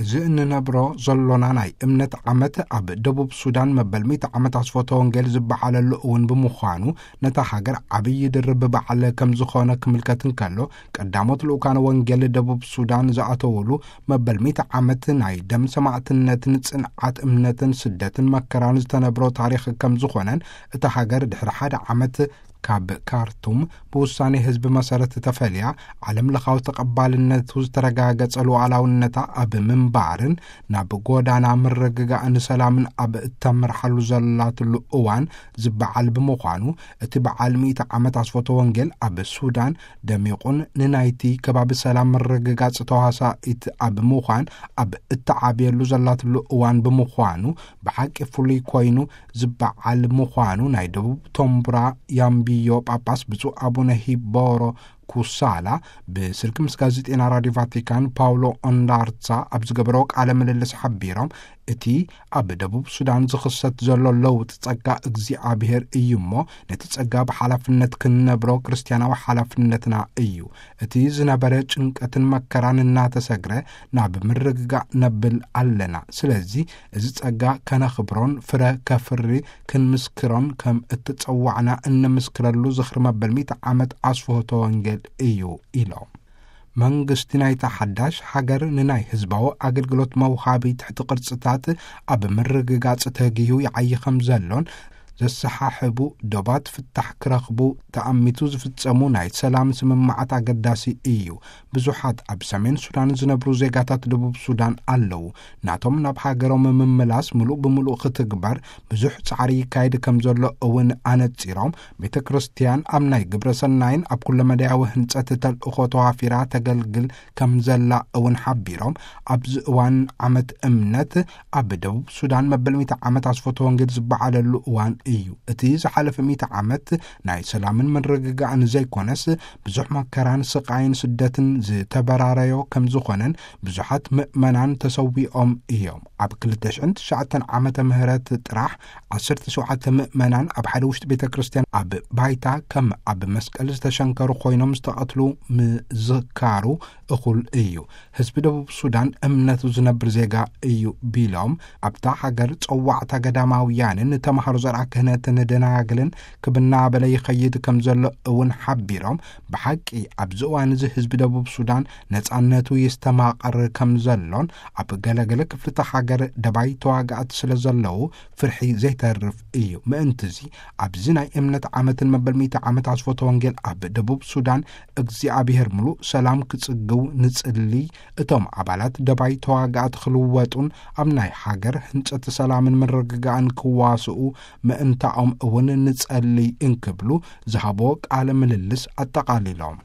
እዚ እንነብሮ ዘሎና ናይ እምነት ዓመት ኣብ ደቡብ ሱዳን መበል ሚእቲ ዓመት ኣስፎተ ወንጌል ዝበዓለሉ እውን ብምዃኑ፣ ነታ ሃገር ዓብዪ ድርብ በዓል ከም ዝኾነ ክምልከት እንከሎ፣ ቀዳሞት ልኡካን ወንጌል ደቡብ ሱዳን ዝኣተውሉ መበል ሚእቲ ዓመት ናይ ደም ሰማዕትነትን ጽንዓት እምነትን ስደትን መከራን ዝተነብሮ ታሪኽ ከም ዝኾነን፣ እታ ሃገር ድሕሪ ሓደ ዓመት ካብ ካርቱም ብውሳኔ ህዝቢ መሰረት ተፈልያ፣ ዓለም ለኻዊ ተቐባልነቱ ዝተረጋገጸ ሉዓላውነታ ኣብ ምንባርን ናብ ጎዳና ምርግጋእን ሰላምን ኣብ እተምርሓሉ ዘላትሉ እዋን ዝበዓል ብምዃኑ፣ እቲ በዓል ሚእቲ ዓመት ኣስፎተ ወንጌል ኣብ ሱዳን ደሚቑን ንናይቲ ከባቢ ሰላም ምርግጋጽ ተዋሳኢት ኣብ ምዃን ኣብ እተዓብየሉ ዘላትሉ እዋን ብምዃኑ፣ ብሓቂ ፍሉይ ኮይኑ ዝበዓል ምዃኑ ናይ ደቡብ ቶምቡራ ያምቢዮ ጳጳስ ብፁዕ ኣቡነ ሂቦሮ ኩሳላ ብስልኪ ምስ ጋዜጤና ራዲዮ ቫቲካን ፓውሎ ኦንዳርሳ ኣብ ዝገበረዎ ቃለ ምልልስ ሓቢሮም፣ እቲ ኣብ ደቡብ ሱዳን ዝኽሰት ዘሎ ለውጢ ጸጋ እግዚኣብሔር እዩ እሞ፣ ነቲ ጸጋ ብሓላፍነት ክንነብሮ ክርስትያናዊ ሓላፍነትና እዩ። እቲ ዝነበረ ጭንቀትን መከራን እናተሰግረ ናብ ምርግጋእ ነብል ኣለና። ስለዚ እዚ ጸጋ ከነኽብሮን ፍረ ከፍሪ ክንምስክሮን ከም እተጸዋዕና እንምስክረሉ ዝኽሪ መበል ሚእቲ ዓመት ኣስፍሆተ ወንጌል እዩ ኢሎም። መንግስቲ ናይታ ሓዳሽ ሃገር ንናይ ህዝባዊ ኣገልግሎት መውሃቢ ትሕቲ ቅርጽታት ኣብ ምርግጋጽ ተጊሁ ይዓዪ ከም ዘሎን፣ ዘሰሓሕቡ ዶባት ፍታሕ ክረኽቡ ተኣሚቱ ዝፍጸሙ ናይ ሰላም ስምምዓት ኣገዳሲ እዩ። ብዙሓት ኣብ ሰሜን ሱዳን ዝነብሩ ዜጋታት ደቡብ ሱዳን ኣለዉ። ናቶም ናብ ሃገሮም ምምላስ ምሉእ ብምሉእ ክትግበር ብዙሕ ጻዕሪ ይካየድ ከም ዘሎ እውን ኣነጺሮም፣ ቤተ ክርስቲያን ኣብ ናይ ግብረ ሰናይን ኣብ ኩለመዳያዊ ህንጸት ተልእኾ ተዋፊራ ተገልግል ከም ዘላ እውን ሓቢሮም፣ ኣብዚ እዋን ዓመት እምነት ኣብ ደቡብ ሱዳን መበል ሚእቲ ዓመት ኣስፎተ ወንጌል ዝበዓለሉ እዋን እዩ። እቲ ዝሓለፈ ሚእቲ ዓመት ናይ ሰላምን ምርግጋእን ዘይኮነስ፣ ብዙሕ መከራን ስቓይን ስደትን ዝተበራረዮ ከም ዝኾነን፣ ብዙሓት ምእመናን ተሰዊኦም እዮም። ኣብ ክልተ ሽሕን ትሽዓተን ዓመተ ምህረት ጥራሕ ዓሰርተ ሸውዓተ ምእመናን ኣብ ሓደ ውሽጢ ቤተ ክርስቲያን ኣብ ባይታ ከም ኣብ መስቀል ዝተሸንከሩ ኮይኖም ዝተቐትሉ ምዝካሩ እኹል እዩ። ህዝቢ ደቡብ ሱዳን እምነቱ ዝነብር ዜጋ እዩ ቢሎም፣ ኣብታ ሃገር ጸዋዕታ ገዳማውያንን ተማሃሮ ዘርኣ ክህነትን ደናግልን ክብናበለ ይኸይድ ከም ዘሎ እውን ሓቢሮም፣ ብሓቂ ኣብዚ እዋን እዚ ህዝቢ ደቡብ ሱዳን ነጻነቱ ይስተማቐር ከም ዘሎን፣ ኣብ ገለገለ ክፍልታ ሃገር ደባይ ተዋጋእቲ ስለ ዘለዉ ፍርሒ ዘይተርፍ እዩ። ምእንትዚ ኣብዚ ናይ እምነት ዓመትን መበል ሚእቲ ዓመት ኣስፎተ ወንጌል ኣብ ደቡብ ሱዳን እግዚኣብሔር ምሉእ ሰላም ክጽግው ንጽሊ። እቶም ኣባላት ደባይ ተዋጋእቲ ክልወጡን ኣብ ናይ ሃገር ህንጸት ሰላምን ምርግጋእን ክዋስኡ ምእንታኦም እውን ንጸሊ እንክብሉ ዝሃቦ ቃለ ምልልስ ኣጠቓሊሎም።